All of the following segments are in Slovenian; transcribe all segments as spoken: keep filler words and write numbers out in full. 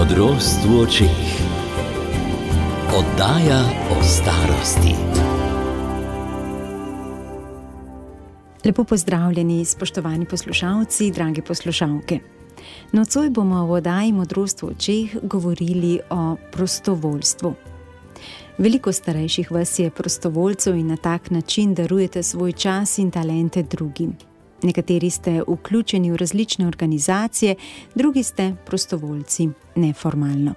Modrost v očeh. Oddaja o starosti. Lepo pozdravljeni, spoštovani poslušalci, drage poslušalke. Nocoj bomo v oddaji Modrost v očeh govorili o prostovoljstvu. Veliko starejših vas je prostovoljcev in na tak način darujete svoj čas in talente drugim. Nekateri ste vključeni v različne organizacije, drugi ste prostovoljci neformalno.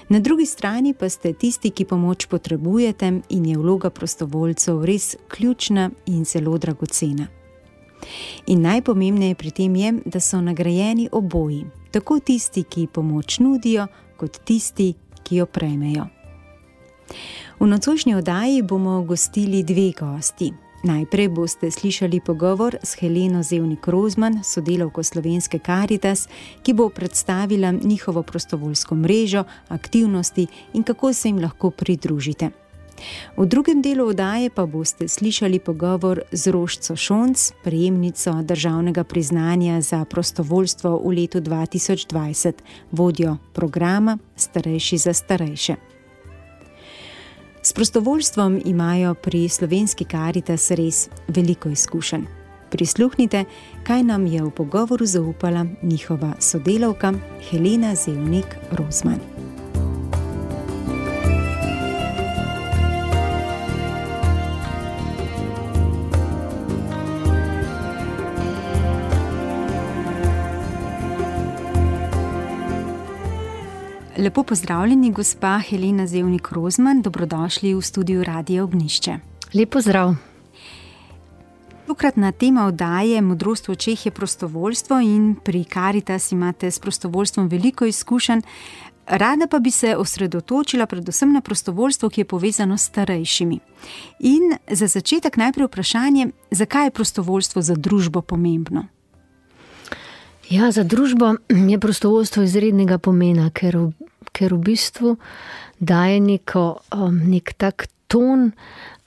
Na drugi strani pa ste tisti, ki pomoč potrebujete in je vloga prostovoljcev res ključna in zelo dragocena. In najpomembneje pri tem je, da so nagrajeni oboji, tako tisti, ki pomoč nudijo, kot tisti, ki jo prejmejo. V nocojšnji oddaji bomo gostili dve gosti. Najprej boste slišali pogovor s Heleno Zevnik Rozman, sodelavko Slovenske Karitas, ki bo predstavila njihovo prostovoljsko mrežo, aktivnosti in kako se jim lahko pridružite. V drugem delu oddaje pa boste slišali pogovor z Rožco Šonc, prejemnico državnega priznanja za prostovoljstvo v letu dva tisoč dvajset, vodjo programa Starejši za starejše. S prostovoljstvom imajo pri Slovenski Karitas res veliko izkušenj. Prisluhnite, kaj nam je v pogovoru zaupala njihova sodelavka Helena Zevnik Rozman. Lepo pozdravljeni, gospa Helena Zevnik Rozman, dobrodošli v studiu Radia Ognjišče. Lep pozdrav. Tokratna tema oddaje Modrost v očeh je prostovoljstvo in pri Karitas imate s prostovoljstvom veliko izkušenj. Rada pa bi se osredotočila predvsem na prostovoljstvo, ki je povezano s starejšimi. In za začetek najprej vprašanje, zakaj je prostovoljstvo za družbo pomembno? Ja, za družbo je prostovoljstvo izrednega pomena, ker v, ker v bistvu daje neko, um, nek tak ton,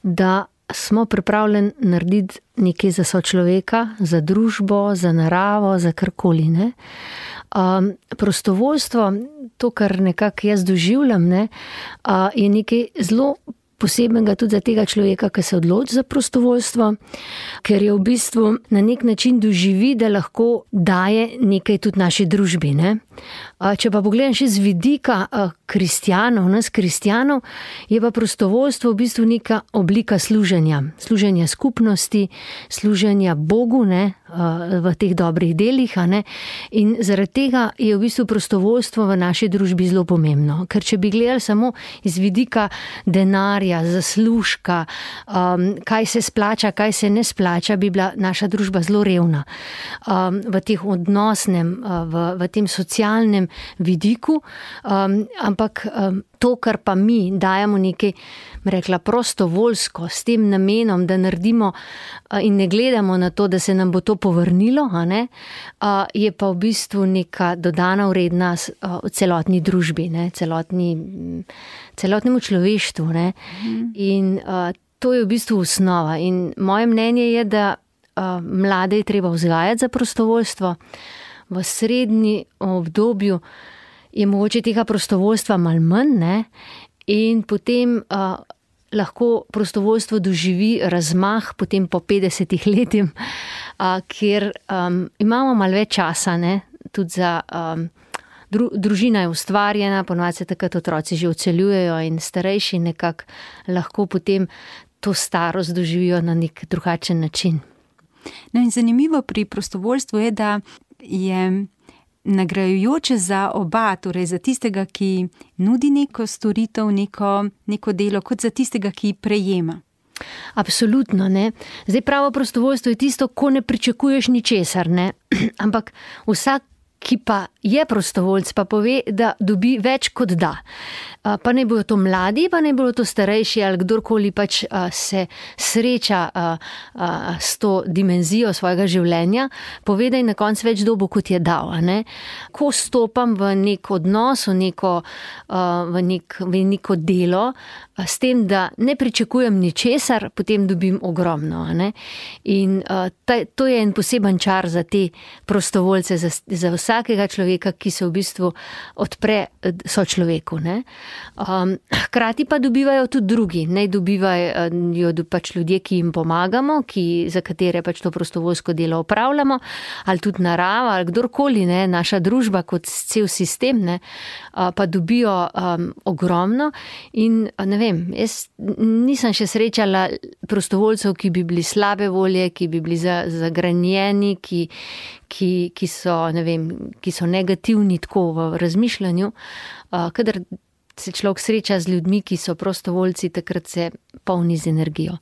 da smo pripravljeni narediti nekaj za sočloveka, za družbo, za naravo, za karkoli. Ne? Um, prostovoljstvo, to, kar nekako jaz doživljam, ne, uh, je nekaj zelo posebnega tudi za tega človeka, ki se odloči za prostovoljstvo, ker je v bistvu na nek način doživi, da lahko daje nekaj tudi naši družbi. Ne? Če pa pogledam še z vidika kristjanov, nas kristjanov, je pa prostovoljstvo v bistvu neka oblika služenja. Služenja skupnosti, služenja Bogu, ne, v teh dobrih delih. Ne? In zaradi tega je v bistvu prostovoljstvo v naši družbi zelo pomembno. Ker če bi gledali samo iz vidika denarja, zaslužka, um, kaj se splača, kaj se ne splača, bi bila naša družba zelo revna. Um, v teh odnosnem, v, v tem socialnem vidiku, um, ampak um, to, kar pa mi dajemo nekaj, rekla, prostovoljsko, s tem namenom, da naredimo in ne gledamo na to, da se nam bo to povrnilo, a ne, a, je pa v bistvu neka dodana vrednost v celotni družbi, ne, celotni, celotnemu človeštvu. Ne. In a, to je v bistvu osnova. In moje mnenje je, da a, mlade je treba vzgajati za prostovoljstvo. V srednji obdobju je mogoče tega prostovoljstva malo manj, ne? In potem uh, lahko prostovoljstvo doživi razmah potem po petdesetih letih, uh, kjer um, imamo malo več časa, ne? Tudi za um, dru, družina je ustvarjena, ponovadi se takrat otroci že odseljujejo in starejši nekako lahko potem to starost doživijo na nek drugačen način. No in zanimivo pri prostovoljstvu je, da je nagrajujoče za oba, torej za tistega, ki nudi neko storitev, neko, neko delo, kot za tistega, ki prejema. Absolutno, ne. Zdaj pravo prostovoljstvo je tisto, ko ne pričakuješ ničesar, ne. Ampak vsak, ki pa je prostovoljc, pa pove, da dobi več kot da. Pa ne bojo to mladi, pa ne bojo to starejši ali kdorkoli pač se sreča s to dimenzijo svojega življenja, pove, da je na koncu več dobo, kot je dal. Ne? Ko stopam v nek odnos, v neko, v nek, v neko delo, s tem, da ne pričakujem ničesar, potem dobim ogromno. Ne? In ta, to je en poseben čar za te prostovoljce, za, za vsakega človeka, človeka, ki se v bistvu odpre sočloveku, ne. Um, hkrati pa dobivajo tudi drugi, ne dobivajo pač ljudje, ki jim pomagamo, ki, za katere pač to prostovoljsko delo opravljamo, ali tudi narava, ali kdorkoli, ne, naša družba kot cel sistem, ne, pa dobijo um, ogromno in ne vem, jaz nisem še srečala prostovoljcev, ki bi bili slabe volje, ki bi bili zagranjeni, ki, ki, ki, so, ne vem, ki so negativni tako v razmišljanju. Kadar se človek sreča z ljudmi, ki so prostovoljci, takrat se polni z energijo.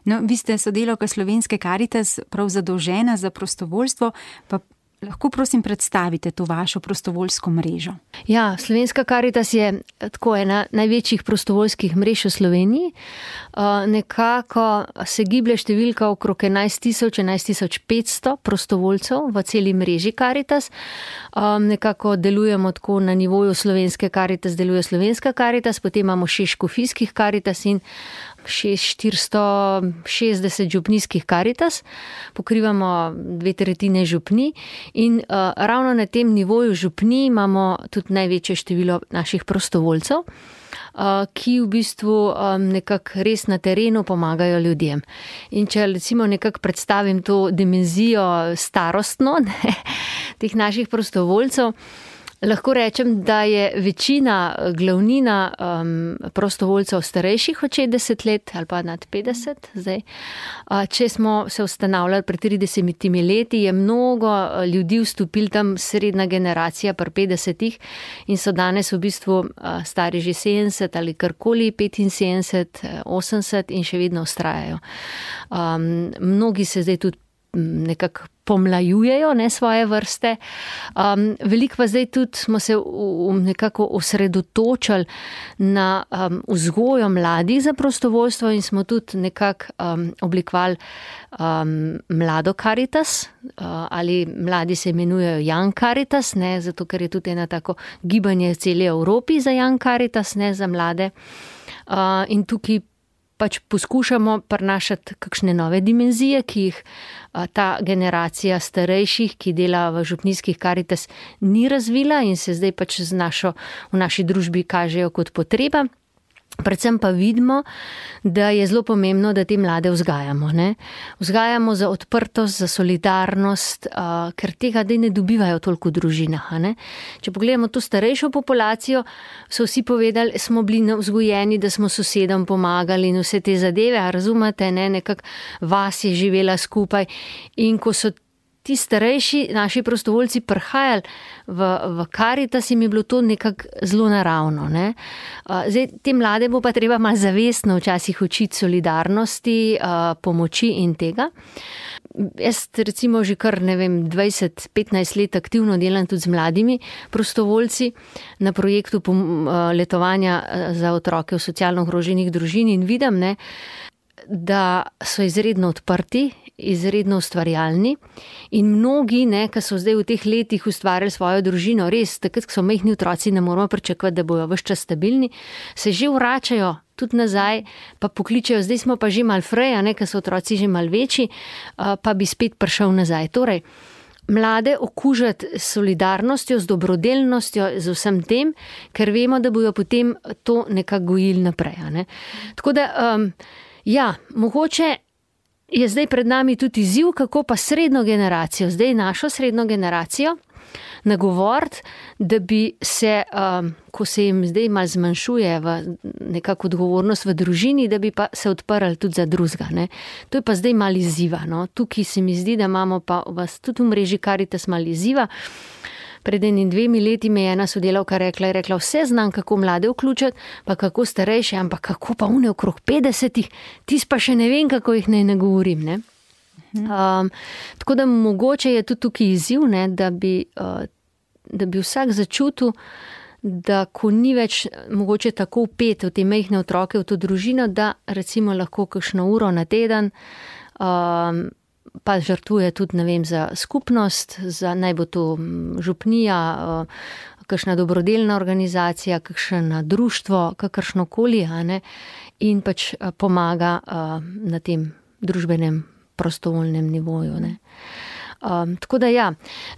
No, vi ste sodelavka Slovenske Karitas, prav zadolžena za prostovoljstvo, pa lahko prosim predstavite to vašo prostovoljsko mrežo. Ja, Slovenska Karitas je tako ena največjih prostovoljskih mrež v Sloveniji. Nekako se giblje številka okrog enajst tisoč, enajst tisoč petsto prostovoljcev v celi mreži Karitas. Nekako delujemo tako na nivoju Slovenske Karitas, deluje Slovenska Karitas, potem imamo šest škofijskih Karitas in šest štiristo šestdeset župnijskih Karitas, pokrivamo dve tretjine župnij in uh, ravno na tem nivoju župnij imamo tudi največje število naših prostovoljcev, uh, ki v bistvu um, nekako res na terenu pomagajo ljudem. In če recimo nekako predstavim to dimenzijo starostno, ne, teh naših prostovoljcev, lahko rečem, da je večina, glavnina um, prostovoljcev starejših od šestdeset let ali pa nad petdeset zdaj. Če smo se ustanavljali pred tridesetimi leti, je mnogo ljudi vstopili tam, srednja generacija pri petdesetih in so danes v bistvu stari že sedemdeset ali karkoli, petinsedemdeset, osemdeset in še vedno vztrajajo. Um, mnogi se zdaj tudi nekako pomlajujejo, ne, svoje vrste. Um, veliko pa zdaj tudi smo se v, v nekako osredotočili na um, vzgojo mladih za prostovoljstvo in smo tudi nekako um, oblikovali um, mlado Karitas, uh, ali mladi se imenujejo Young Karitas, ne, zato ker je tudi ena tako gibanje v celi Evropi za Young Karitas, ne, za mlade. Uh, in tukaj pač poskušamo prinašati kakšne nove dimenzije, ki jih ta generacija starejših, ki dela v župnijskih Karitas, ni razvila in se zdaj pač z našo, v naši družbi kažejo kot potreba. Predvsem pa vidimo, da je zelo pomembno, da te mlade vzgajamo. Ne? Vzgajamo za odprtost, za solidarnost, uh, ker tega dej ne dobivajo toliko v družinah. Ne? Če pogledamo to starejšo populacijo, so vsi povedali, smo bili vzgojeni, da smo sosedom pomagali in vse te zadeve, a razumete, ne? Nekak vas je živela skupaj in ko so ti starejši, naši prostovoljci prihajali v, v Karitas, jim je bilo to nekako zelo naravno. Ne? Zdaj, te mlade bo pa treba malo zavestno včasih učiti solidarnosti, pomoči in tega. Jaz recimo že kar, ne vem, dvajset petnajst let aktivno delam tudi z mladimi prostovoljci na projektu letovanja za otroke v socialno ogroženih družin in vidim, ne, da so izredno odprti, izredno ustvarjalni in mnogi, ne, ki so zdaj v teh letih ustvarjali svojo družino, res, takrat, ko so majhni otroci, ne moramo pričakovati, da bojo ves čas stabilni, se že vračajo tudi nazaj, pa pokličejo, zdaj smo pa že malo freja, ne, ker so otroci že malo večji, pa bi spet prišel nazaj. Torej, mlade okužati s solidarnostjo, z dobrodelnostjo, z vsem tem, ker vemo, da bojo potem to nekako gojili naprej. Ne. Tako da, um, ja, mogoče je zdaj pred nami tudi izziv, kako pa srednjo generacijo, zdaj našo srednjo generacijo, nagovoriti, da bi se, um, ko se jim zdaj malo zmanjšuje v nekako odgovornost v družini, da bi pa se odprli tudi za drugega. Ne. To je pa zdaj malo izziva. No. Tukaj se mi zdi, da imamo pa vas tudi v mreži Karitas malo izziva. Pred enim dvemi leti me je ena sodelavka rekla, je rekla, vse znam, kako mlade vključiti, pa kako starejše, ampak kako pa une okrog petdesetih, tis pa še ne vem, kako jih naj nagovorim. Ne? Um, tako da mogoče je tudi tukaj izziv, ne, da, bi, uh, da bi vsak začutil, da ko ni več mogoče tako vpet v te majhne otroke, v to družino, da recimo lahko kakšno uro na teden um, pa žrtvuje tudi, ne vem, za skupnost, za, naj bo to župnija, kakšna dobrodelna organizacija, kakšno društvo, kakršnokoli, a ne, in pač pomaga na tem družbenem prostovoljnem nivoju. Ne. Um, tako da ja,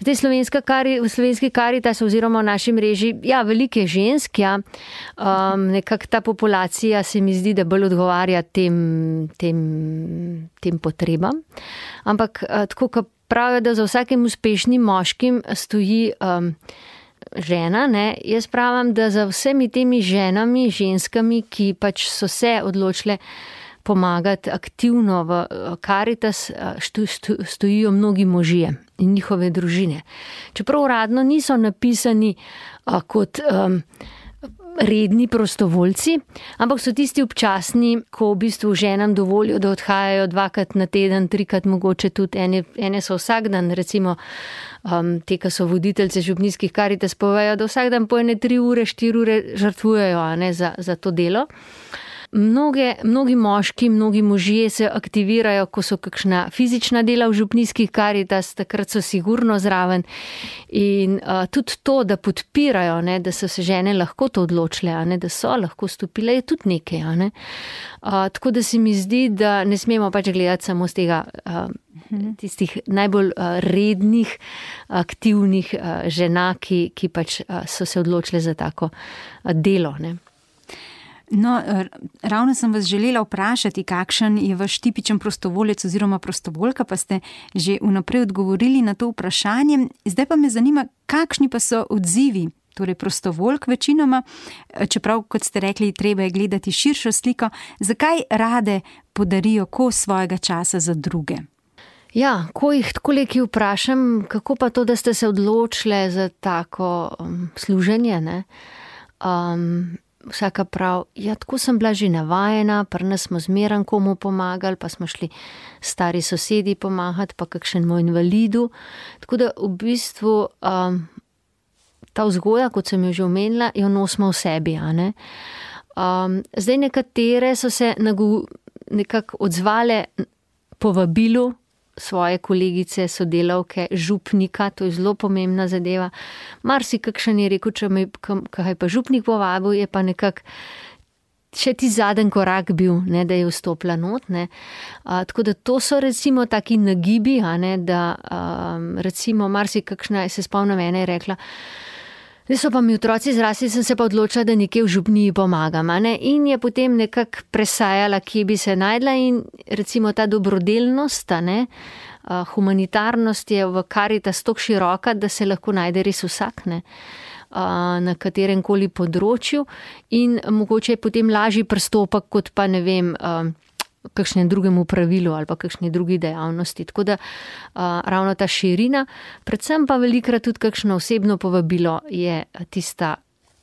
zdaj slovenska kari, v slovenski Karitas oziroma v naši mreži, ja, veliko je žensk, ja, um, nekako ta populacija se mi zdi, da bolj odgovarja tem, tem, tem potrebam. Ampak uh, tako, kot pravijo, da za vsakim uspešnim moškim stoji um, žena, ne, jaz pravim, da za vsemi temi ženami, ženskami, ki pač so se odločile pomagati aktivno v Karitas, stojijo mnogi možje in njihove družine. Čeprav uradno niso napisani kot um, redni prostovoljci, ampak so tisti občasni, ko v bistvu ženam dovolijo, da odhajajo dvakrat na teden, trikrat mogoče tudi, ene, ene so vsak dan, recimo um, te, ki so voditeljce župnijskih Karitas, povejo, da vsak dan po ene tri ure, štiri ure žrtvujejo, a ne, za, za to delo. Mnoge, mnogi moški, mnogi možje se aktivirajo, ko so kakšna fizična dela v župnijskih Karitas, takrat so sigurno zraven. In uh, tudi to, da podpirajo, ne, da so se žene lahko to odločile, a ne, da so lahko stopile, je tudi nekaj. A ne. Uh, tako da se mi zdi, da ne smemo pač gledati samo z tega uh, tistih najbolj uh, rednih, aktivnih uh, žena, ki, ki pač uh, so se odločile za tako uh, delo, ne. No, ravno sem vas želela vprašati, kakšen je vaš tipičen prostovoljec oziroma prostovoljka, pa ste že vnaprej odgovorili na to vprašanje. Zdaj pa me zanima, kakšni pa so odzivi, torej prostovoljk večinoma, čeprav, kot ste rekli, treba je gledati širšo sliko, zakaj rade podarijo kos svojega časa za druge? Ja, ko jih tako leki vprašam, kako pa to, da ste se odločile za tako um, služenje, ne? Um, Vsaka prav, ja, tako sem bila že navajena, pri nas smo zmeran komu pomagali, pa smo šli stari sosedi pomagati, pa kakšnemu invalidu. Tako da v bistvu um, ta vzgoja, kot sem jo že omenila, jo nosimo v sebi. A ne? Um, zdaj nekatere so se nagu, nekako odzvale povabilu svoje kolegice, sodelavke, župnika, to je zelo pomembna zadeva. Marsi kakšen je rekel, če me kaj pa župnik povabil, je pa nekako še ti zadnji korak bil, ne, da je vstopila not. Ne. A, tako da to so recimo taki nagibi, a ne, da a, recimo marsi kakšna, se spomnim, ena je rekla, zdaj so pa mi otroci zrasli, sem se pa odločila, da nekje v župniji pomagam. A ne? In je potem nekako presajala, kje bi se najdla in recimo ta dobrodelnost, a ne, humanitarnost je v Karitas tako široka, da se lahko najde res vsak, ne, na katerem koli področju in mogoče je potem lažji pristopek kot pa ne vem, kakšnem drugemu pravilu ali pa kakšni drugi dejavnosti. Tako da uh, ravno ta širina, predvsem pa velikrat tudi kakšno osebno povabilo je tista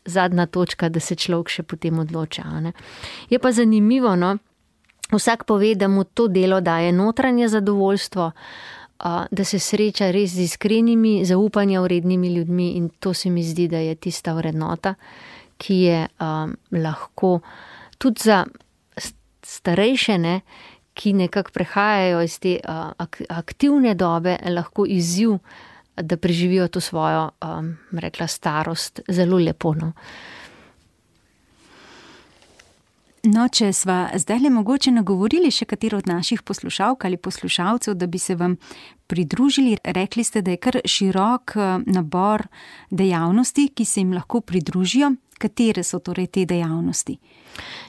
zadnja točka, da se človek še potem odloča. Ne? Je pa zanimivo, no, vsak pove, da mu to delo daje notranje zadovoljstvo, uh, da se sreča res z iskrenimi, zaupanja vrednimi ljudmi in to se mi zdi, da je tista vrednota, ki je um, lahko tudi za starejše, ne, ki nekako prehajajo iz te uh, aktivne dobe, lahko izziv, da preživijo to svojo, um, rekla, starost zelo lepo. No. No, če sva zdaj le mogoče nagovorili še katero od naših poslušalk ali poslušalcev, da bi se vam pridružili, rekli ste, da je kar širok nabor dejavnosti, ki se jim lahko pridružijo. Katere so torej te dejavnosti?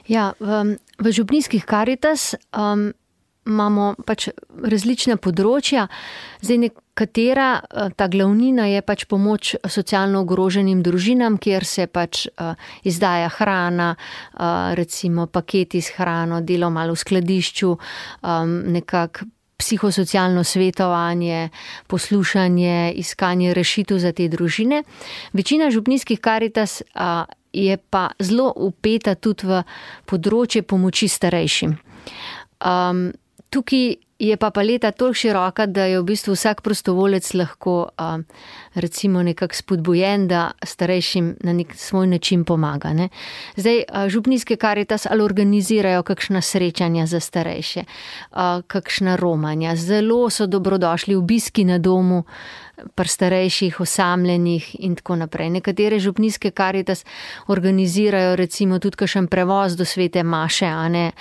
Ja, v, v župnijskih Karitas um, imamo pač različna področja. Zdaj nekatera, ta glavnina je pač pomoč socialno ogroženim družinam, kjer se pač uh, izdaja hrana, uh, recimo paketi s hrano, delo malo v skladišču, um, nekako psihosocialno svetovanje, poslušanje, iskanje rešitev za te družine. Večina župnijskih Karitas a, je pa zelo vpeta tudi v področje pomoči starejšim. Um, tukaj je pa paleta toliko široka, da je v bistvu vsak prostovolec lahko a, recimo nekako spodbujen, da starejšim na nek svoj način pomaga. Ne? Zdaj, a, župnijske Karitas ali organizirajo kakšna srečanja za starejše, a, kakšna romanja. Zelo so dobrodošli obiski na domu pri starejših, osamljenih in tako naprej. Nekatere župnijske Karitas organizirajo recimo tudi kakšen prevoz do Svete maše, a ne,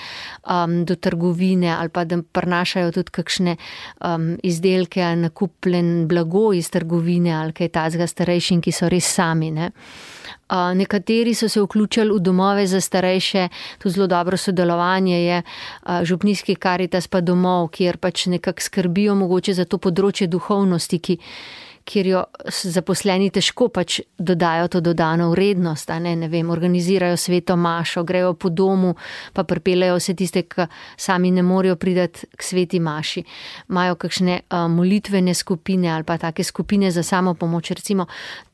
um, do trgovine ali pa da prinašajo donirajo tudi kakšne um, izdelke ali nakupljen blago iz trgovine ali kaj tazga starejšim, ki so res sami, ne. Uh, nekateri so se vključili v domove za starejše, tudi zelo dobro sodelovanje je uh, župnijski Karitas pa domov, kjer pač nekako skrbijo mogoče za to področje duhovnosti, ki kjer jo zaposleni težko pač dodajo to dodano vrednost, a ne, ne vem, organizirajo sveto mašo, grejo po domu, pa pripeljejo vse tiste, ki sami ne morejo priti k sveti maši. Imajo kakšne uh, molitvene skupine ali pa take skupine za samo pomoč, recimo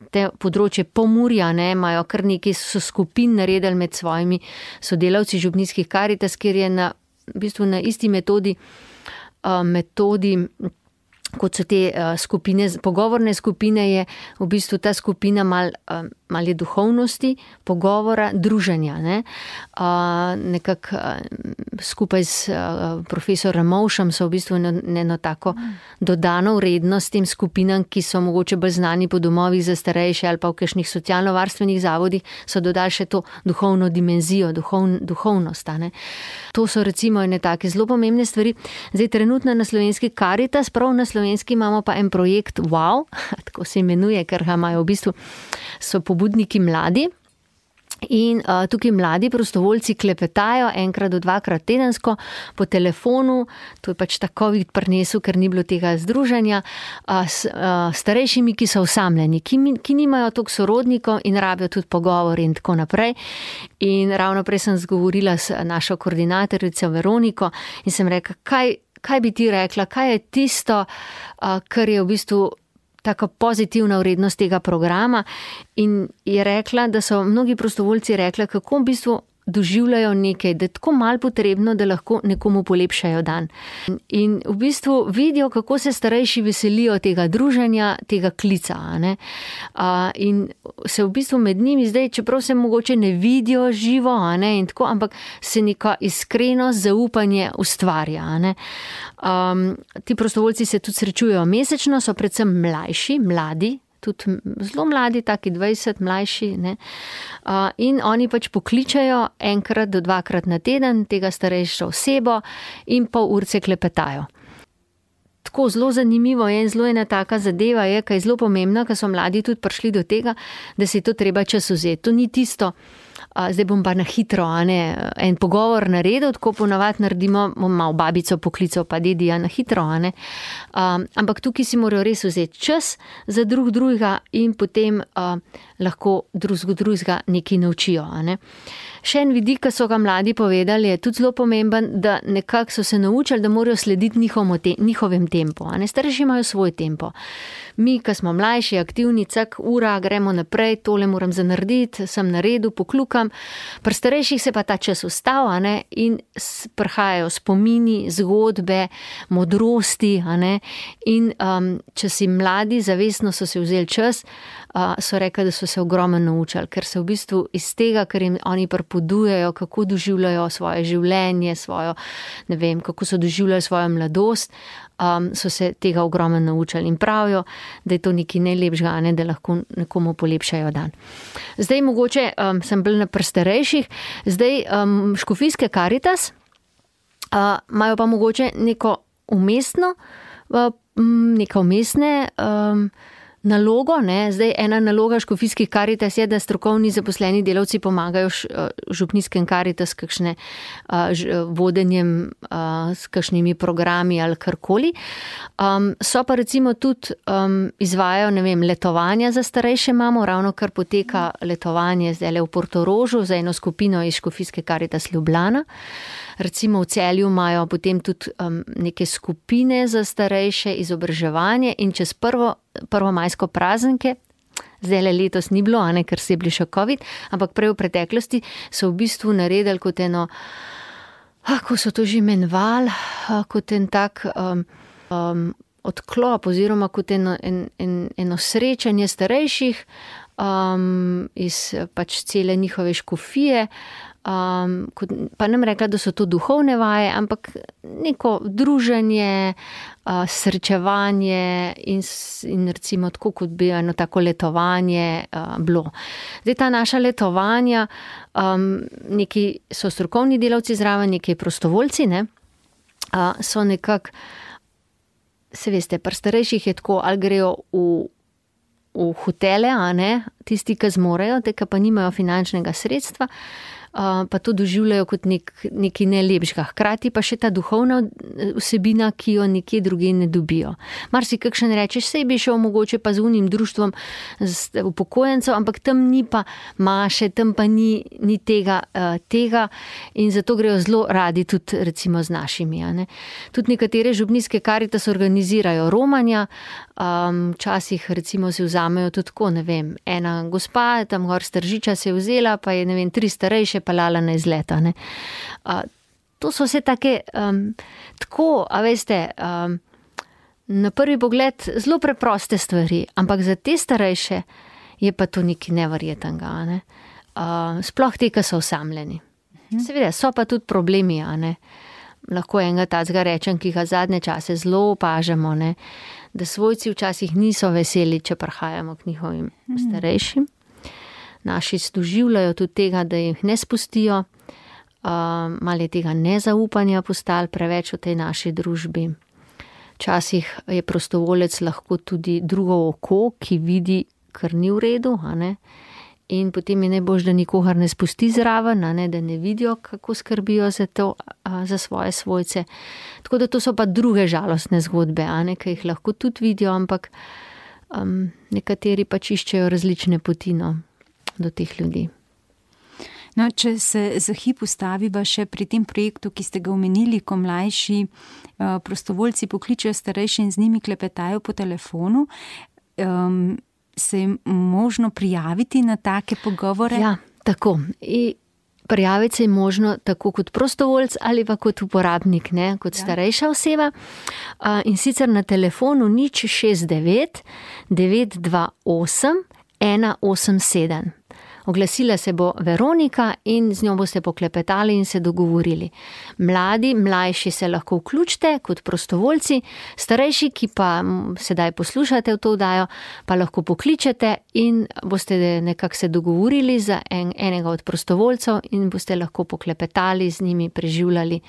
te področje Pomurja, ne, imajo kar nekaj so skupin naredili med svojimi sodelavci župnijskih Karitas, kjer je na, v bistvu na isti metodi, uh, metodi kot so te uh, skupine, pogovorne skupine, je v bistvu ta skupina mal, uh, mal je duhovnosti, pogovora, druženja, ne. Uh, nekako uh, skupaj s uh, profesor Ramovšem so v bistvu eno, eno tako dodano vrednost tem skupinam, ki so mogoče bolj znani po domovih za starejše ali pa v kakšnih socialno-varstvenih zavodih, so dodali še to duhovno dimenzijo, duhovn, duhovnost, ne. To so recimo ene take zelo pomembne stvari. Zdaj trenutno na slovenski Karitas, prav na slovenski imamo pa en projekt Wow, tako se imenuje, ker ga imajo v bistvu, so pobudniki mladi. In uh, tukaj mladi prostovoljci klepetajo enkrat do dvakrat tedensko po telefonu, to je pač ta covid prinesel, ker ni bilo tega združenja, uh, s uh, starejšimi, ki so osamljeni, ki, ki nimajo toliko sorodnikov in rabijo tudi pogovor in tako naprej. In ravno prej sem zgovorila s našo koordinatorico Veroniko in sem rekla, kaj, kaj bi ti rekla, kaj je tisto, uh, kar je v bistvu taka pozitivna vrednost tega programa, in je rekla, da so mnogi prostovoljci rekli, kako v bistvu doživljajo nekaj, da je tako malo potrebno, da lahko nekomu polepšajo dan. In v bistvu vidijo, kako se starejši veselijo tega druženja, tega klica, ne. Uh, in se v bistvu med njimi zdaj, čeprav se mogoče ne vidijo živo, ne, in tako, ampak se neka iskrenost, zaupanje ustvarja, ne. Um, ti prostovoljci se tudi srečujejo mesečno, so predvsem mlajši, mladi, tudi zelo mladi, taki dvajset, mlajši, ne. Uh, in oni pač pokličajo enkrat do dvakrat na teden tega starejšo osebo in pol urce klepetajo. Tako zelo zanimivo je in zelo ena taka zadeva je, kaj je zelo pomembna, ker so mladi tudi prišli do tega, da si to treba čas vzeti. To ni tisto, uh, zdaj bom pa na hitro, a ne, en pogovor naredil, tako ponavadi naredimo, bom malo babico poklical, pa dedija na hitro, a ne. Um, ampak tukaj si morajo res vzeti čas za drug drugega in potem uh, lahko drug drugega nekaj naučijo, a ne. Še en vidik, ki so ga mladi povedali, je tudi zelo pomemben, da nekako so se naučili, da morajo slediti njihovem, te, njihovem tempu, a ne. Starejši imajo svoj tempo. Mi, ki smo mlajši, aktivni, cak, ura, gremo naprej, tole moram zanarediti, sem na redu, poklukam. Pri starejših se pa ta čas ustav, a ne, in prihajajo spomini, zgodbe, modrosti, a ne. In um, če si mladi, zavestno so se vzeli čas, uh, so rekli, da so se ogromno naučili, ker se v bistvu iz tega, ker jim oni pripovedujejo, kako doživljajo svoje življenje, svojo, ne vem, kako so doživljali svojo mladost, um, so se tega ogromno naučili in pravijo, da je to nekaj najlepšega, ne, da lahko nekomu polepšajo dan. Zdaj mogoče um, sem bil na prestarejših, zdaj um, škofijske Karitas uh, imajo pa mogoče neko umestno, uh, neka umestne um, nalogo, ne. Zdaj ena naloga škofijskih Karitas je, da strokovni zaposleni delavci pomagajo župnijskem Karitas s kakšne uh, vodenjem, uh, s kakšnimi programi ali karkoli. Um, so pa recimo tudi um, izvajajo, ne vem, letovanja za starejše imamo, ravno kar poteka letovanje zdaj v Portorožu za eno skupino iz škofijske Karitas Ljubljana. Recimo v Celju imajo potem tudi um, neke skupine za starejše, izobraževanje in čez prvo, prvomajsko praznike, zdaj le letos ni bilo, a ne, ker se je bil še covid, ampak prej v preteklosti so v bistvu naredili kot eno, kako so to že imenovali, kot en tak um, um, odklop oziroma kot eno, en, en, eno srečanje starejših um, iz pač cele njihove škofije. Um, kot, pa nam rekla, da so to duhovne vaje, ampak neko druženje, uh, srečevanje in, in recimo tako, kot bi eno tako letovanje uh, bilo. Zdaj ta naša letovanja, um, neki so strokovni delavci zraven, neki prostovoljci, ne. uh, so nekako, se veste, pri starejših je tako, ali grejo v, v hotele, a ne, tisti, ki zmorejo, te, ki pa nimajo finančnega sredstva, Uh, pa to doživljajo kot nek, nekaj nelepšega. Hkrati pa še ta duhovna vsebina, ki jo nekje druge ne dobijo. Mar si kakšen rečeš, sej bi šel mogoče pa z unim društvom z upokojencev, ampak tam ni pa maše, tam pa ni, ni tega, uh, tega in zato grejo zelo radi tudi recimo z našimi. Ne? Tudi nekatere župnijske Karitas organizirajo romanja, um, včasih recimo se vzamejo tudi tako, ne vem, ena gospa, tam gor Stržiča se je vzela, pa je ne vem, tri starejše pelala na izleta. Ne. Uh, to so vse take, um, tako, a veste, um, na prvi pogled zelo preproste stvari, ampak za te starejše je pa to nekaj neverjetnega. Ne. Uh, sploh te, ki so osamljeni. Mhm. Seveda, so pa tudi problemi, a ne. Lahko enega tacga rečem, ki ga zadnje čase zelo opažamo, ne, da svojci včasih niso veseli, če prihajamo k njihovim mhm. starejšim. Naši doživljajo tudi tega, da jih ne spustijo, uh, malo je tega nezaupanja postalo preveč v tej naši družbi. Včasih je prostovolec lahko tudi drugo oko, ki vidi, kar ni v redu, a ne? In potem je najbolj, da nikogar ne spusti zraven, a ne? Da ne vidijo, kako skrbijo za to, a, za svoje svojce. Tako da to so pa druge žalostne zgodbe, a ne? Ki jih lahko tudi vidijo, ampak um, nekateri pač iščejo različne poti, no, do teh ljudi. No, če se za hip ustaviva še pri tem projektu, ki ste ga omenili, ko mlajši uh, prostovoljci pokličejo starejše in z njimi klepetajo po telefonu, um, se je možno prijaviti na take pogovore? Ja, tako. I prijaviti se je možno tako kot prostovoljc ali pa kot uporabnik, ne, kot ja. starejša oseba. Uh, in sicer na telefonu nič šest devet devet dva osem ena osem sedem. Oglasila se bo Veronika in z njo boste poklepetali in se dogovorili. Mladi, mlajši se lahko vključite kot prostovoljci, starejši, ki pa sedaj poslušate v to oddajo, pa lahko pokličete in boste nekako se dogovorili za en, enega od prostovoljcev in boste lahko poklepetali z njimi, preživljali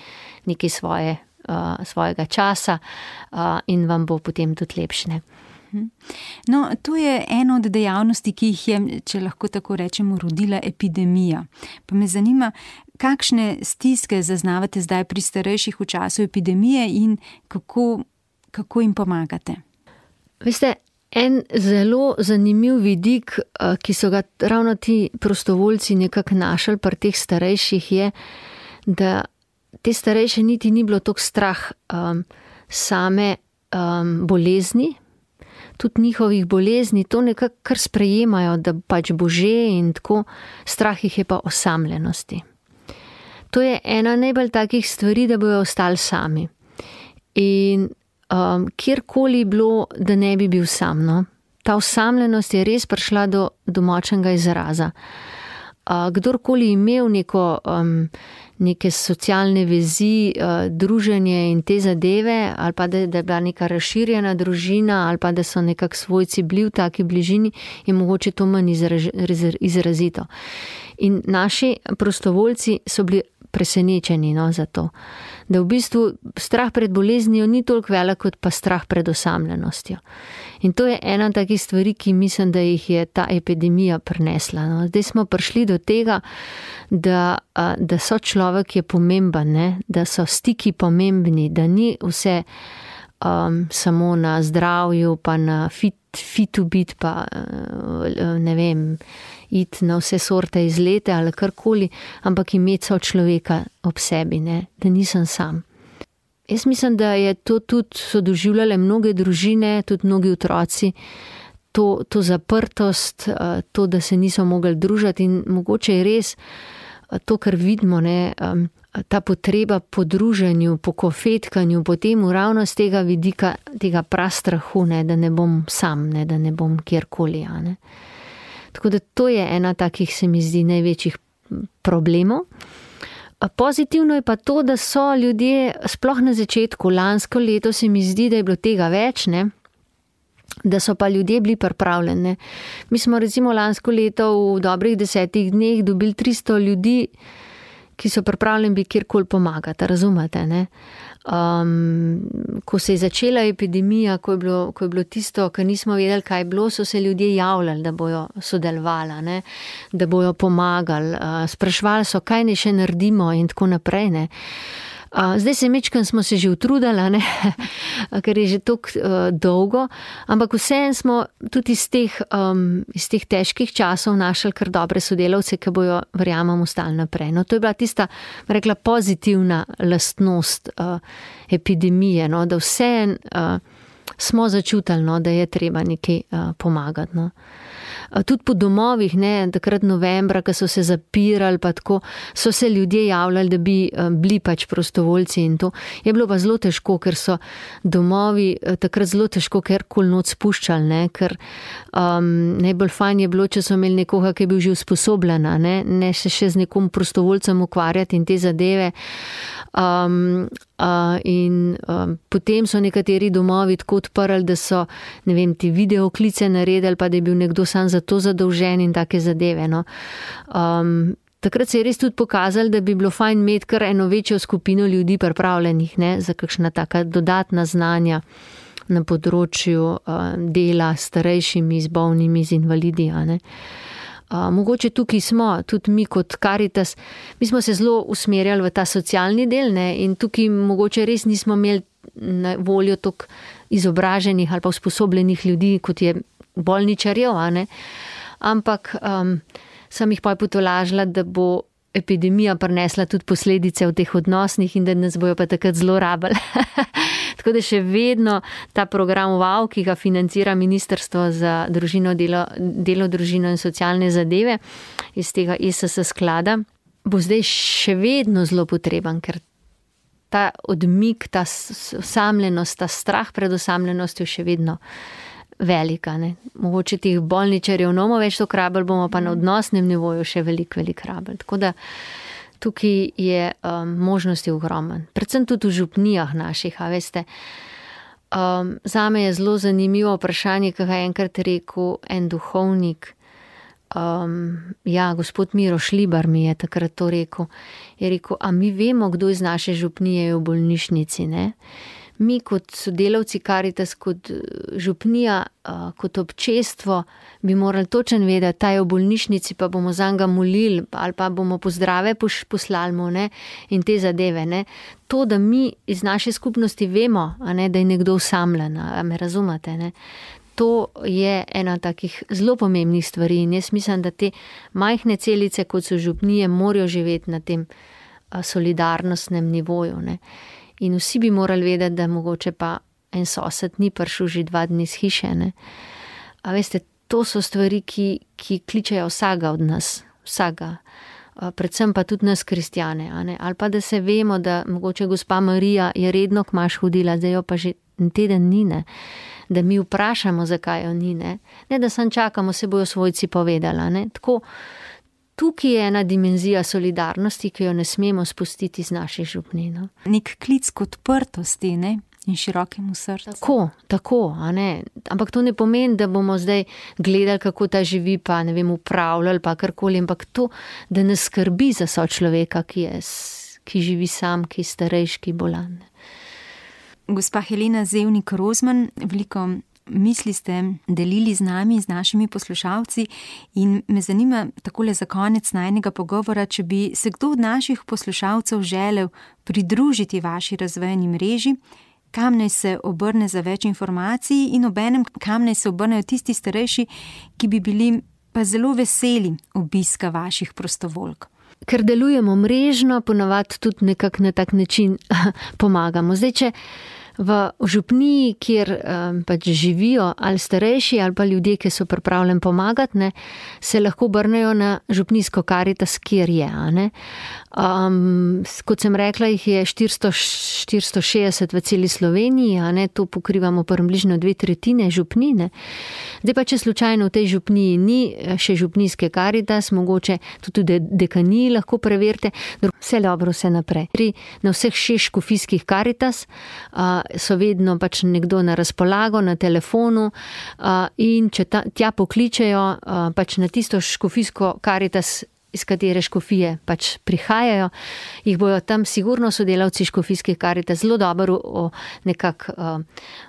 nekaj svoje, uh, svojega časa uh, in vam bo potem tudi lepšne. No, to je ena od dejavnosti, ki jih je, če lahko tako rečemo, rodila epidemija. Pa me zanima, kakšne stiske zaznavate zdaj pri starejših v času epidemije in kako, kako jim pomagate? Veste, en zelo zanimiv vidik, ki so ga ravno ti prostovoljci nekako našli pri teh starejših, je, da te starejše niti ni bilo toliko strah um, same um, bolezni, tudi njihovih bolezni, to nekako kar sprejemajo, da pač bo že in tako, strah jih je pa osamljenosti. To je ena najbolj takih stvari, da bojo ostali sami. In um, kjerkoli bilo, da ne bi bil sam, no? Ta osamljenost je res prišla do, do močnega izraza. Uh, kdorkoli imel neko, um, neke socialne vezi, uh, druženje in te zadeve, ali pa da, da je bila neka razširjena družina, ali pa da so nekak svojci bili v taki bližini, je mogoče to manj izraž, izrazito. In naši prostovoljci so bili presenečeni, no, za to. Da v bistvu strah pred boleznijo ni toliko velik, kot pa strah pred osamljenostjo. In to je ena takih stvari, ki mislim, da jih je ta epidemija prinesla. No. Zdaj smo prišli do tega, da, da so človek je pomemben, ne? Da so stiki pomembni, da ni vse um, samo na zdravju, pa na fit, fitu bit, pa ne vem, iti na vse sorte izlete ali karkoli, ampak imeti so človeka ob sebi, ne? Da nisem sam. Jaz mislim, da je to tudi so doživljale mnoge družine, tudi mnogi otroci, to, to zaprtost, to, da se niso mogli družiti in mogoče je res to, kar vidimo, ne, ta potreba po druženju, po kofetkanju, potem ravno z tega vidika, tega prastrahu, ne, da ne bom sam, ne, da ne bom kjerkoli. Ne. Tako da to je ena takih, se mi zdi, največjih problemov. Pozitivno je pa to, da so ljudje, sploh na začetku, lansko leto se mi zdi, da je bilo tega več, ne? Da so pa ljudje bili pripravljeni. Mi smo recimo lansko leto v dobrih desetih dneh dobili tristo ljudi, ki so pripravljeni bi kjerkoli pomagati, razumete, ne? Um, ko se je začela epidemija, ko je bilo, ko je bilo tisto, ko nismo vedeli, kaj je bilo, so se ljudje javljali, da bojo sodelovali, ne? Da bojo pomagali, uh, sprašvali so, kaj ne še naredimo in tako naprej, ne? Uh, zdaj se mečkam smo se že utrudili, ne? Ker je že tako uh, dolgo, ampak vseeno smo tudi iz teh, um, iz teh težkih časov našli kar dobre sodelavce, ki bojo, verjamem, ostali naprej. No, to je bila tista, rekla, pozitivna lastnost uh, epidemije, no? Da vseeno uh, smo začutili, no? Da je treba nekaj uh, pomagati. No? Tudi po domovih, ne, takrat novembra, ko so se zapirali, pa tako, so se ljudje javljali, da bi bili pač prostovoljci in to. Je bilo pa zelo težko, ker so domovi takrat zelo težko kjerkoli noč spuščali, ne, ker um, najbolj fajn je bilo, če so imeli nekoga, ki je bil že usposobljena, ne, ne se še z nekom prostovoljcem ukvarjati in te zadeve. Um, uh, in um, potem so nekateri domovi tako odprli, da so, ne vem, ti videoklice naredili, pa da je bil nekdo sam za to zadolžen in take zadeve, no. Um, takrat se je res tudi pokazalo, da bi bilo fajn imeti kar eno večjo skupino ljudi pripravljenih, ne, za kakšna taka dodatna znanja na področju uh, dela s starejšimi, z bolnimi, z invalidi, a ne. Uh, mogoče tukaj smo, tudi mi kot Karitas, mi smo se zelo usmerjali v ta socialni del, ne, in tukaj mogoče res nismo imeli na voljo toliko izobraženih ali pa usposobljenih ljudi, kot je bolničarjev, a ne, ampak um, sem jih pa potolažila, da bo epidemija prinesla tudi posledice v teh odnosnih in da nas bojo pa takrat zelo rabili. Tako da še vedno ta program WOW, ki ga financira Ministrstvo za družino, delo, delo, družino in socialne zadeve iz tega E S S sklada, bo zdaj še vedno zelo potreben, ker ta odmik, ta osamljenost, ta strah pred osamljenostjo še vedno velika, ne. Mogoče teh bolničarjev ne bomo več to rabili, bomo pa na odnosnem nivoju še veliko, veliko rabili. Tako da tukaj je um, možnosti ogromen. Predvsem tudi v župnijah naših, a veste. Um, zame je zelo zanimivo vprašanje, ki ga je enkrat rekel en duhovnik. Um, ja, gospod Miro Šlibar mi je takrat to rekel. Je rekel, a mi vemo, kdo iz naše župnije je v bolnišnici, ne? Mi kot sodelavci Karitas, kot župnija, kot občestvo bi morali točno vedeti, ta je v bolnišnici, pa bomo zanj ga molili ali pa bomo pozdrave poslali mu, ne, in te zadeve, ne. To, da mi iz naše skupnosti vemo, a ne, da je nekdo osamljen, a me razumete, ne. To je ena takih zelo pomembnih stvari in jaz mislim, da te majhne celice, kot so župnije, morajo živeti na tem solidarnostnem nivoju, ne. In vsi bi morali vedeti, da mogoče pa en sosed ni prišel že dva dni z hiše, ne. A veste, to so stvari, ki, ki kličejo vsega od nas, vsega. Predvsem pa tudi nas kristjane, a ne. Ali pa da se vemo, da mogoče gospa Marija je redno k maš hodila, zdaj jo pa že teden ni, ne. Da mi vprašamo, zakaj jo ni, ne. Ne, da sam čakamo, se bojo svojci povedala, ne. Tako, tukaj je ena dimenzija solidarnosti, ki jo ne smemo spustiti z naših župnij, no. Nek klic k odprtosti, ne? In širokemu srcu. Tako, tako, a ne. Ampak to ne pomeni, da bomo zdaj gledali, kako ta živi, pa ne vem, upravljali, pa karkoli, ampak to, da nas skrbi za sočloveka, ki je, ki živi sam, ki je starejši, ki je bolan. Gospa Helena Zevnik Rozman, veliko misli ste delili z nami, z našimi poslušalci in me zanima takole za konec najnega pogovora, če bi se kdo od naših poslušalcev želel pridružiti vaši razvojni mreži, kam naj se obrne za več informacij in obenem kam naj se obrnejo tisti starejši, ki bi bili pa zelo veseli obiska vaših prostovoljk. Ker delujemo mrežno, ponavadi tudi nekako na tak način pomagamo. Zdaj, če v župniji, kjer um, pač živijo ali starejši ali pa ljudje, ki so pripravljeni pomagati, ne, se lahko obrnejo na župnijsko Karitas, kjer je, a ne. Um, kot sem rekla, jih je štiristo, štiristo šestdeset v celi Sloveniji, a ne, to pokrivamo približno dve tretjine župnine. Zdaj pa, če slučajno v tej župniji ni še župnijske Karitas, mogoče tudi dekaniji lahko preverite, vse dobro, vse naprej. Na vseh šest škofijskih Karitas uh, so vedno pač nekdo na razpolago, na telefonu uh, in če ta, tja pokličejo uh, pač na tisto škofijsko Karitas iz katere škofije pač prihajajo, jih bojo tam sigurno sodelavci škofijskih Karitas zelo dobro nekako uh,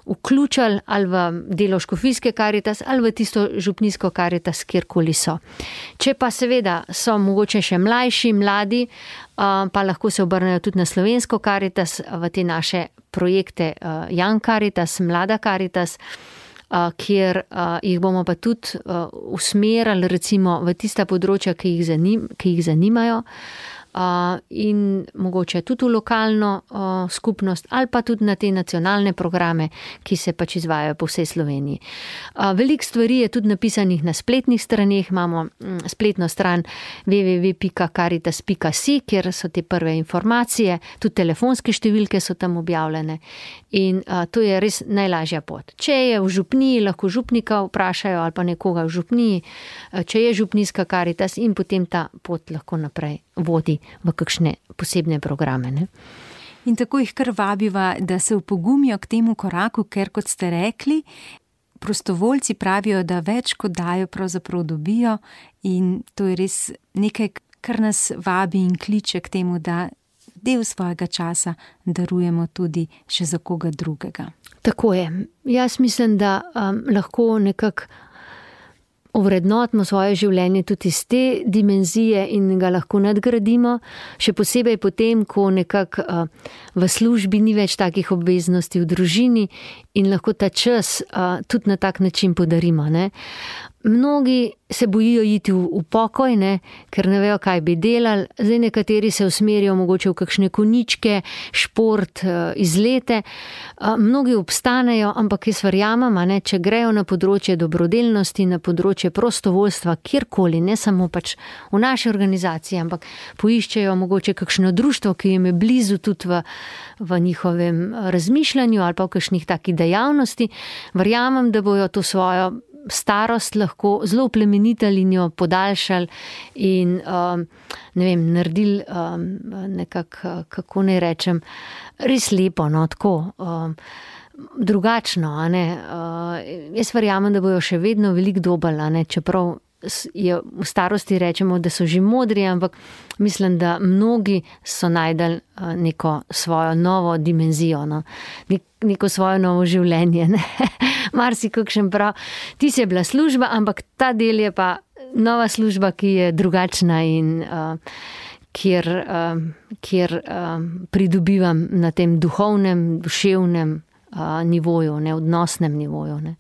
vključili ali v delo škofijske Karitas ali v tisto župnijsko Karitas, kjerkoli so. Če pa seveda so mogoče še mlajši, mladi, uh, pa lahko se obrnejo tudi na slovensko Karitas, v te naše projekte uh, Young Karitas, Mlada Karitas, Uh, kjer uh, jih bomo pa tudi uh, usmerali recimo v tista področja, ki jih, zanim, ki jih zanimajo uh, in mogoče tudi v lokalno uh, skupnost ali pa tudi na te nacionalne programe, ki se pač izvajajo po vsej Sloveniji. Uh, veliko stvari je tudi napisanih na spletnih straneh, imamo um, spletno stran w w w pika karitas pika si, kjer so te prve informacije, tudi telefonske številke so tam objavljene. In uh, to je res najlažja pot. Če je v župniji, lahko župnika vprašajo ali pa nekoga v župniji, uh, če je župnijska Karitas in potem ta pot lahko naprej vodi v kakšne posebne programe. Ne? In tako jih kar vabiva, da se upogumijo k temu koraku, ker kot ste rekli, prostovoljci pravijo, da več kot dajo, pravzaprav dobijo in to je res nekaj, kar nas vabi in kliče k temu, da del svojega časa darujemo tudi še za koga drugega. Tako je. Jaz mislim, da um, lahko nekako ovrednotimo svoje življenje tudi iz te dimenzije in ga lahko nadgradimo, še posebej potem, ko nekako uh, v službi ni več takih obveznosti v družini in lahko ta čas uh, tudi na tak način podarimo. Ne? Mnogi se bojijo iti v, v pokoj, ne, ker ne vejo, kaj bi delali. Zdaj nekateri se usmerijo mogoče v kakšne koničke, šport, izlete. Mnogi obstanejo, ampak jaz verjamem, ne, če grejo na področje dobrodelnosti, na področje prostovoljstva, kjerkoli, ne samo pač v naši organizaciji, ampak poiščejo mogoče kakšno društvo, ki jim je blizu tudi v, v njihovem razmišljanju ali pa v kakšnih takih dejavnosti. Verjamem, da bojo to svojo starost lahko zelo plemenitali in jo podaljšali in um, ne vem, naredili um, nekako, kako naj rečem, res lepo, no, tako um, drugačno, a ne. Uh, jaz verjamem, da bojo še vedno veliko dobili, a ne, čeprav je v starosti rečemo, da so že modri, ampak mislim, da mnogi so najdali neko svojo novo dimenzijo, no. Neko svoje novo življenje. Ne? Marsi kakšen prav, ti si je bila služba, ampak ta del je pa nova služba, ki je drugačna in uh, kjer, uh, kjer uh, pridobivam na tem duhovnem, duševnem uh, nivoju, ne, odnosnem nivoju. Ne?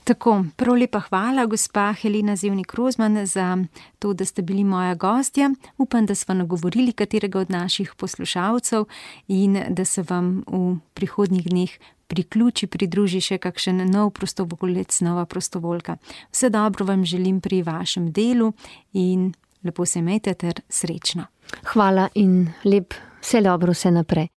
Tako, prav lepa hvala, gospa Helena Zevnik-Rozman, za to, da ste bili moja gostja. Upam, da sva nagovorili katerega od naših poslušalcev in da se vam v prihodnjih dneh priključi, pridruži še kakšen nov prostovoljec, nova prostovoljka. Vse dobro vam želim pri vašem delu in lepo se imejte ter srečno. Hvala in lep, vse dobro, vse naprej.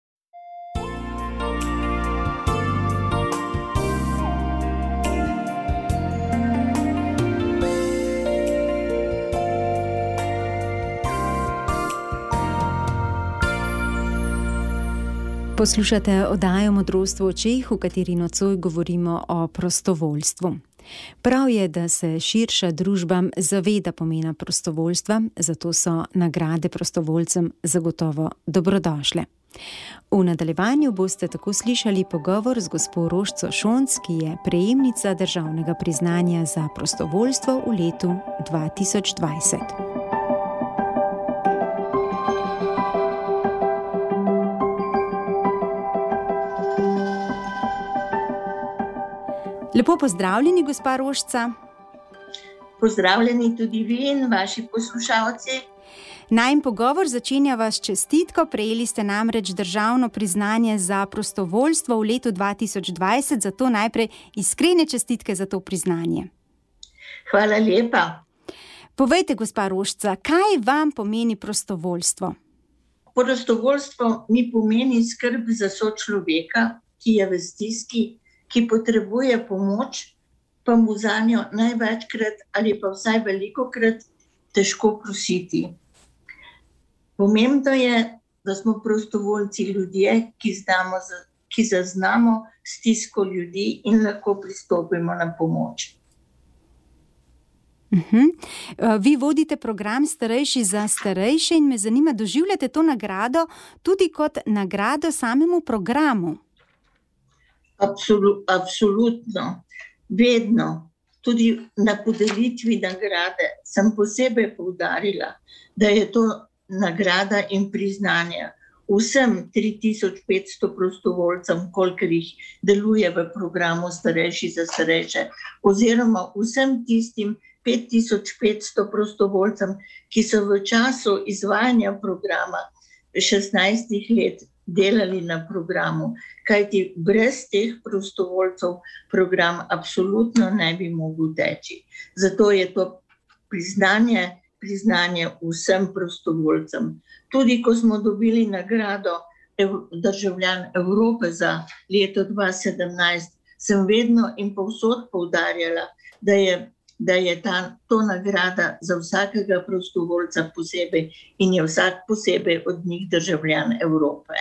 Poslušate oddajo Modrost v očeh, v kateri nocoj govorimo o prostovoljstvu. Prav je, da se širša družba zaveda pomena prostovoljstva, zato so nagrade prostovoljcem zagotovo dobrodošle. V nadaljevanju boste tako slišali pogovor z gospo Rožco Šonc, ki je prejemnica državnega priznanja za prostovoljstvo v letu dva tisoč dvajset. Lepo pozdravljeni, gospa Rožca. Pozdravljeni tudi vi in vaši poslušalci. Najin pogovor začenjava s čestitko. Prejeli ste namreč državno priznanje za prostovoljstvo v letu dva tisoč dvajset, zato najprej iskrene čestitke za to priznanje. Hvala lepa. Povejte, gospa Rožca, kaj vam pomeni prostovoljstvo? Prostovoljstvo mi pomeni skrb za sočloveka, ki je v stiski, ki potrebuje pomoč, pa mu zanjo največkrat ali pa vsaj velikokrat težko prositi. Pomembno je, da smo prostovoljci ljudje, ki, znamo, ki zaznamo stisko ljudi in lahko pristopimo na pomoč. Uh-huh. Vi vodite program Starejši za starejše in me zanima, doživljate to nagrado tudi kot nagrado samemu programu? Absolut, absolutno, vedno. Tudi na podelitvi nagrade sem posebej poudarila, da je to nagrada in priznanje vsem tri tisoč petsto prostovoljcem, kolikor jih deluje v programu Starejši za starejše, oziroma vsem tistim pet tisoč petsto prostovoljcem, ki so v času izvajanja programa šestnajstih let delali na programu, kajti brez teh prostovoljcev program absolutno ne bi mogel teči. Zato je to priznanje, priznanje vsem prostovoljcem. Tudi ko smo dobili nagrado državljan Evrope za leto dva tisoč sedemnajst, sem vedno in povsod poudarjala, da je, da je ta, to nagrada za vsakega prostovoljca posebej in je vsak posebej od njih državljan Evrope.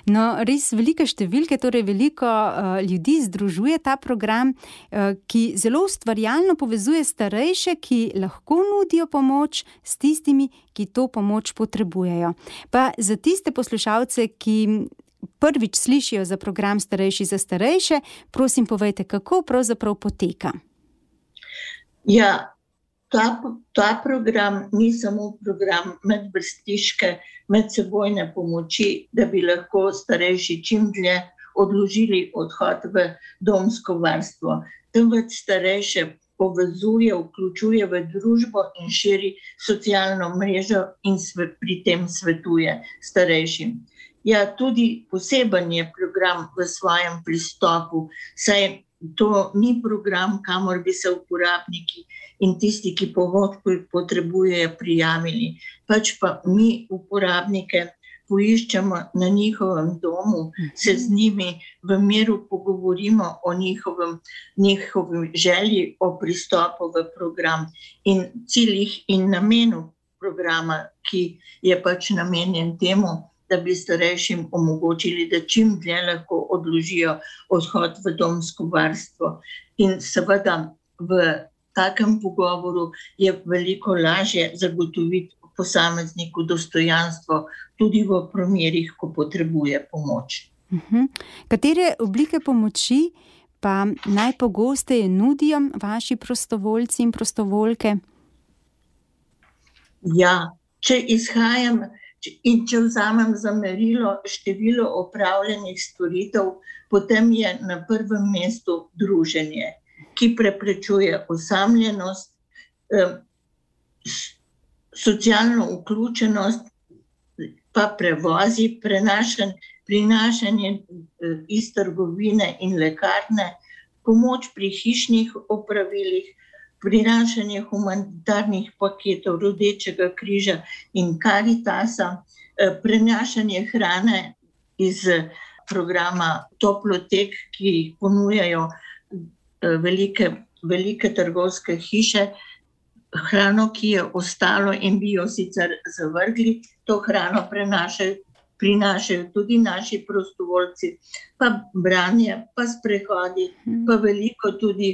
No, res velike številke, torej veliko uh, ljudi združuje ta program, uh, ki zelo ustvarjalno povezuje starejše, ki lahko nudijo pomoč s tistimi, ki to pomoč potrebujejo. Pa za tiste poslušalce, ki prvič slišijo za program Starejši za starejše, prosim povejte, kako pravzaprav poteka. Ja, ta, ta program ni samo program medvrstniške medsebojne pomoči, da bi lahko starejši čim dlje odložili odhod v domsko varstvo. Temveč starejše povezuje, vključuje v družbo in širi socialno mrežo in sve, pri tem svetuje starejšim. Ja, tudi poseben je program v svojem pristopu, saj to ni program, kamor bi se uporabniki in tisti, ki pomoč potrebujejo, prijavili. Pač pa mi uporabnike poiščemo na njihovem domu, se z njimi v miru pogovorimo o njihovem, njihovem želji o pristopu v program in ciljih in namenu programa, ki je pač namenjen temu, da bi starejšim omogočili, da čim dlje lahko odložijo odhod v domsko varstvo. In seveda v takem pogovoru je veliko lažje zagotoviti posamezniku dostojanstvo tudi v primerih, ko potrebuje pomoč. Uh-huh. Katere oblike pomoči pa najpogosteje nudijo vaši prostovoljci in prostovoljke? Ja, če izhajam in če vzamem za merilo število opravljenih storitev, potem je na prvem mestu druženje, ki preprečuje osamljenost, eh, socialno vključenost, pa prevozi, prenašanje, prinašanje eh, iz trgovine in lekarne, pomoč pri hišnih opravilih, prinašanje humanitarnih paketov Rdečega križa in Karitasa, prenašanje hrane iz programa Toplotek, ki jih ponujajo velike, velike trgovske hiše, hrano, ki je ostalo in bi jo sicer zavrgli, to hrano prenašajo, prinašajo tudi naši prostovoljci, pa branje, pa sprehodi, pa veliko tudi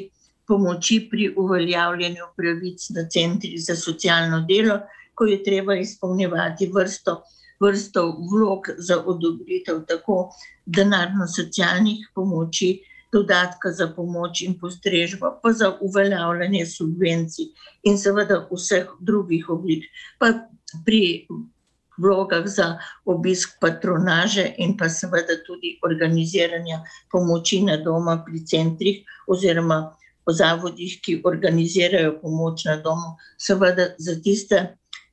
pomoči pri uveljavljanju pravic na centrih za socialno delo, ko je treba izpolnjevati vrsto, vrsto vlog za odobritev tako denarno-socialnih pomoči, dodatka za pomoč in postrežbo, pa za uveljavljanje subvencij in seveda vseh drugih oblik, pa pri vlogah za obisk patronaže in pa seveda tudi organiziranja pomoči na doma pri centrih oziroma po zavodih, ki organizirajo pomoč na domu, seveda za tiste,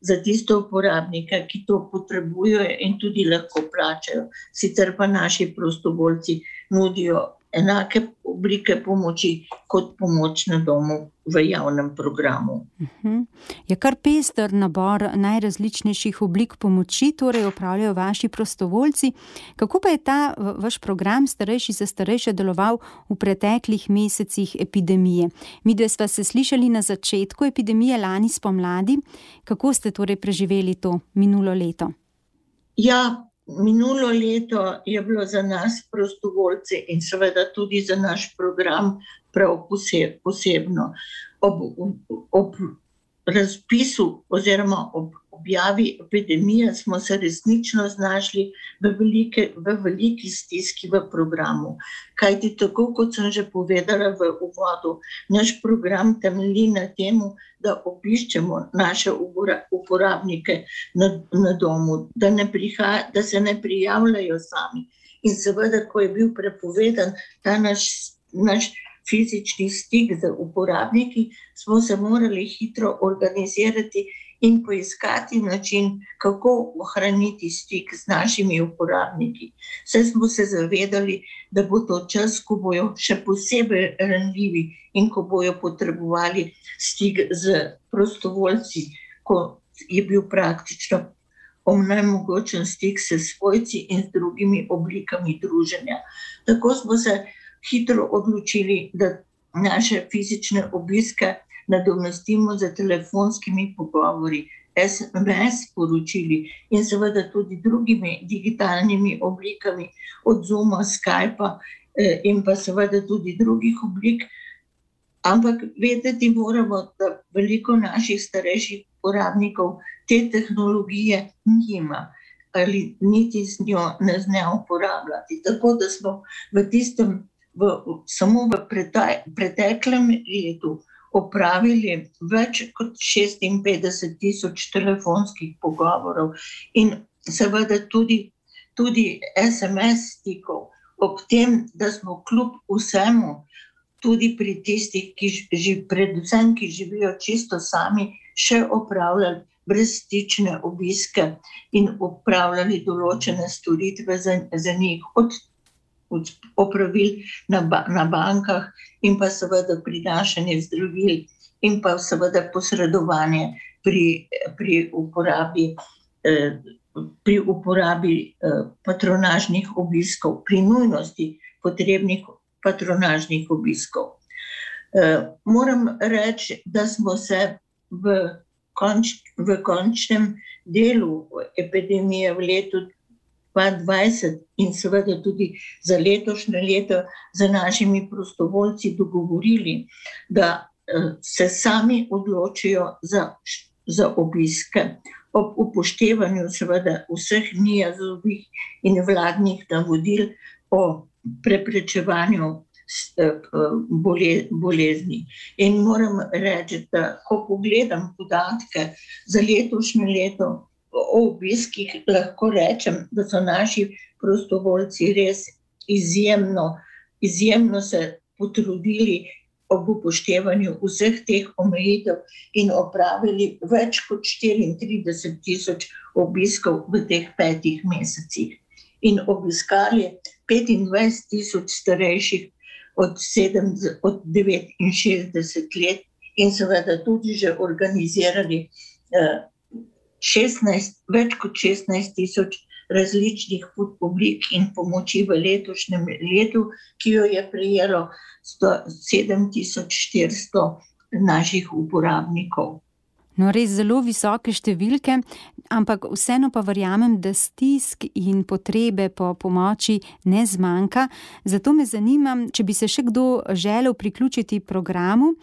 za tiste uporabnike, ki to potrebujejo in tudi lahko plačajo. Sicer pa naši prostovoljci nudijo enake oblike pomoči kot pomoč na domu v javnem programu. Uh-huh. Je kar pester nabor najrazličnejših oblik pomoči, torej opravljajo vaši prostovoljci. Kako pa je ta vaš program Starejši za starejše deloval v preteklih mesecih epidemije? Midve sva se slišali na začetku epidemije lani spomladi. Kako ste torej preživeli to minulo leto? Ja, minulo leto je bilo za nas prostovoljce in seveda tudi za naš program prav posebno. ob, ob razpisu oziroma ob objavi epidemije smo se resnično znašli v, velike, v veliki stiski v programu. Kajti tako, kot sem že povedala v uvodu, naš program temelji na temu, da obiščemo naše uporabnike na, na domu, da, ne prihaja, da se ne prijavljajo sami. In seveda, ko je bil prepovedan ta naš, naš fizični stik z uporabniki, smo se morali hitro organizirati in poiskati način, kako ohraniti stik z našimi uporabniki. Saj smo se zavedali, da bo to čas, ko bojo še posebej ranljivi in ko bojo potrebovali stik z prostovoljci, ko je bil praktično onemogočen stik s svojci in z drugimi oblikami druženja. Tako smo se hitro odločili, da naše fizične obiske nadomestimo z telefonskimi pogovori, es em es sporočili in seveda tudi drugimi digitalnimi oblikami, od Zooma, Skypa eh, in pa seveda tudi drugih oblik. Ampak vedeti moramo, da veliko naših starejših uporabnikov te tehnologije nima ali niti z njo ne zna uporabljati. Tako da smo v tistem, v, samo v preteklem letu opravili več kot šestinpetdeset tisoč telefonskih pogovorov in seveda tudi, tudi es em es stikov, ob tem, da smo kljub vsemu, tudi pri tistih, ki ži, predvsem, ki živijo čisto sami, še opravljali brezstične obiske in opravljali določene storitve za, za njih, od opravil na, ba, na bankah in pa seveda prinašanje zdravil in pa seveda posredovanje pri, pri uporabi, eh, pri uporabi eh, patronažnih obiskov, pri nujnosti potrebnih patronažnih obiskov. Eh, moram reči, da smo se v, konč, v končnem delu epidemije v letu dva tisoč dvajset in seveda tudi za letošnje leto z našimi prostovoljci dogovorili, da se sami odločijo za, za obiske ob upoštevanju seveda vseh NIJZ-ovih in vladnih navodil o preprečevanju bolezni. In moram reči, da ko pogledam podatke za letošnje leto o obiskih, lahko rečem, da so naši prostovoljci res izjemno, izjemno se potrudili ob upoštevanju vseh teh omejitev in opravili več kot štiriintrideset tisoč obiskov v teh petih mesecih. In obiskali petindvajset tisoč starejših od, sedem, od devetinšestdeset let in seveda tudi že organizirali eh, šestnajst, več kot šestnajst tisoč različnih oblik in pomoči v letošnjem letu, ki jo je prejelo sedem tisoč štiristo naših uporabnikov. No, res zelo visoke številke, ampak vseeno pa verjamem, da stisk in potrebe po pomoči ne zmanjka. Zato me zanima, če bi se še kdo želel priključiti programu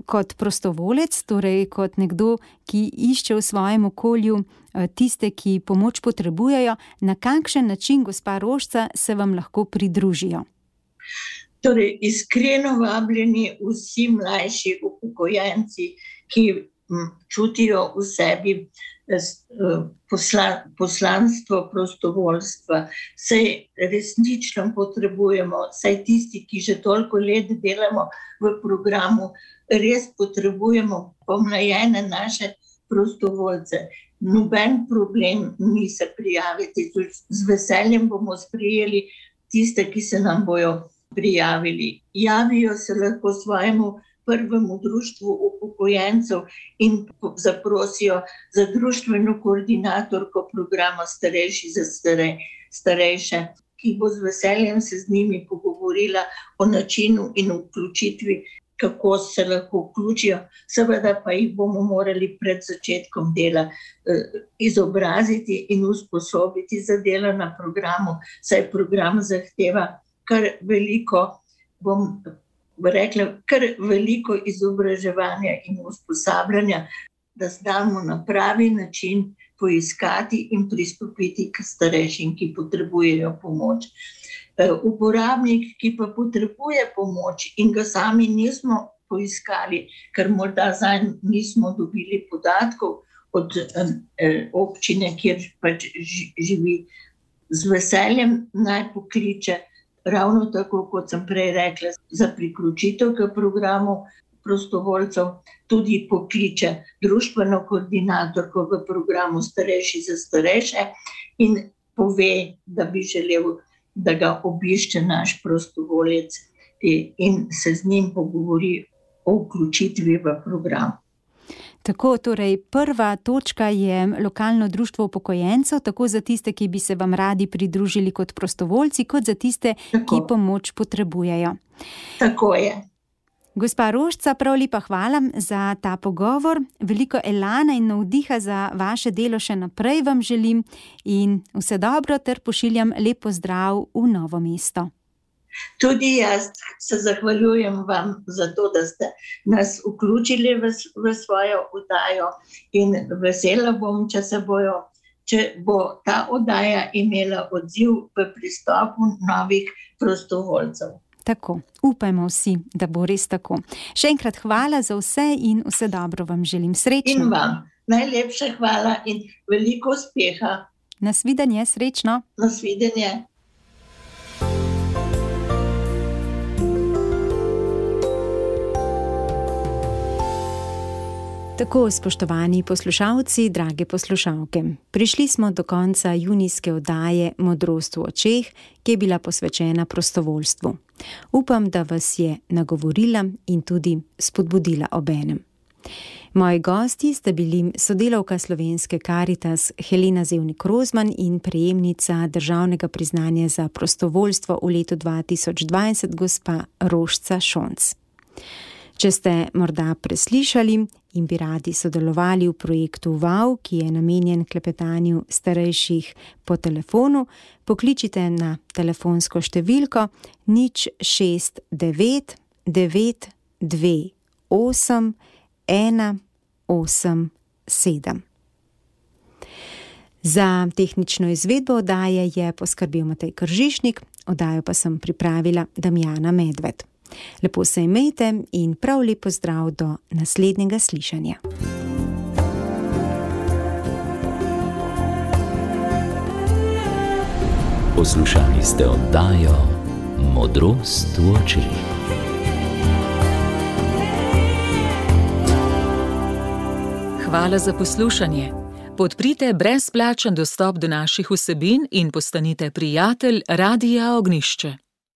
kot prostovolec, torej kot nekdo, ki išče v svojem okolju tiste, ki pomoč potrebujejo, na kakšen način, gospa Rožca, se vam lahko pridružijo? Torej, iskreno vabljeni vsi mlajši upokojenci, ki čutijo v sebi posla, poslanstvo prostovoljstva. Saj resnično potrebujemo, saj tisti, ki že toliko let delamo v programu, res potrebujemo pomlajene naše prostovoljce. Noben problem ni se prijaviti. Z veseljem bomo sprejeli tiste, ki se nam bojo prijavili. Javijo se lahko svojemu prvemu društvu upokojencev in zaprosijo za društveno koordinatorko programa Starejši za starej, starejše, ki bo z veseljem se z njimi pogovorila o načinu in vključitvi, kako se lahko vključijo. Seveda pa jih bomo morali pred začetkom dela eh, izobraziti in usposobiti za delo na programu, saj program zahteva kar veliko, bom rekla, kar veliko izobraževanja in usposabljanja, da znamo na pravi način poiskati in pristopiti k starejšim, ki potrebujejo pomoč. Uporabnik, ki pa potrebuje pomoč in ga sami nismo poiskali, ker morda zanj nismo dobili podatkov od občine, kjer pač živi, z veseljem naj pokliče, ravno tako, kot sem prej rekla, za priključitev k programu prostovoljcev, tudi pokliče društveno koordinatorko v programu Starejši za starejše in pove, da bi želel, da ga obišče naš prostovoljec in se z njim pogovori o vključitvi v program. Tako, torej prva točka je lokalno društvo upokojencev, tako za tiste, ki bi se vam radi pridružili kot prostovoljci, kot za tiste, tako, ki pomoč potrebujejo. Tako je. Gospa Rožca, prav lepa hvala za ta pogovor. Veliko elana in navdiha za vaše delo še naprej vam želim in vse dobro ter pošiljam lep pozdrav v Novo mesto. Tudi jaz se zahvaljujem vam za to, da ste nas vključili v, v svojo oddajo in vesela bom, če se bojo, če bo ta oddaja imela odziv v pristopu novih prostovoljcev. Tako, upajmo vsi, da bo res tako. Še enkrat hvala za vse in vse dobro vam želim. Srečno. In vam najlepša hvala in veliko uspeha. Nasvidenje, srečno. Nasvidenje. Tako, spoštovani poslušalci, drage poslušalke, prišli smo do konca junijske oddaje Modrost v očeh, ki je bila posvečena prostovoljstvu. Upam, da vas je nagovorila in tudi spodbudila obenem. Moji gosti sta bili sodelavka Slovenske Karitas Helena Zevnik Rozman in prejemnica državnega priznanja za prostovoljstvo v letu dva tisoč dvajset gospa Rožca Šonc. Če ste morda preslišali in bi radi sodelovali v projektu V A V, ki je namenjen klepetanju starejših po telefonu, pokličite na telefonsko številko nič šest devet devet dve osem ena osem sedem. Za tehnično izvedbo oddaje je poskrbel Matej Kržišnik, oddajo pa sem pripravila Damjana Medved. Lepo se imejte in prav lep pozdrav do naslednjega slišanja. Poslušali ste oddajo Modrost v očeh. Hvala za poslušanje. Podprite brezplačen dostop do naših vsebin in postanite prijatelj Radia Ognjišče.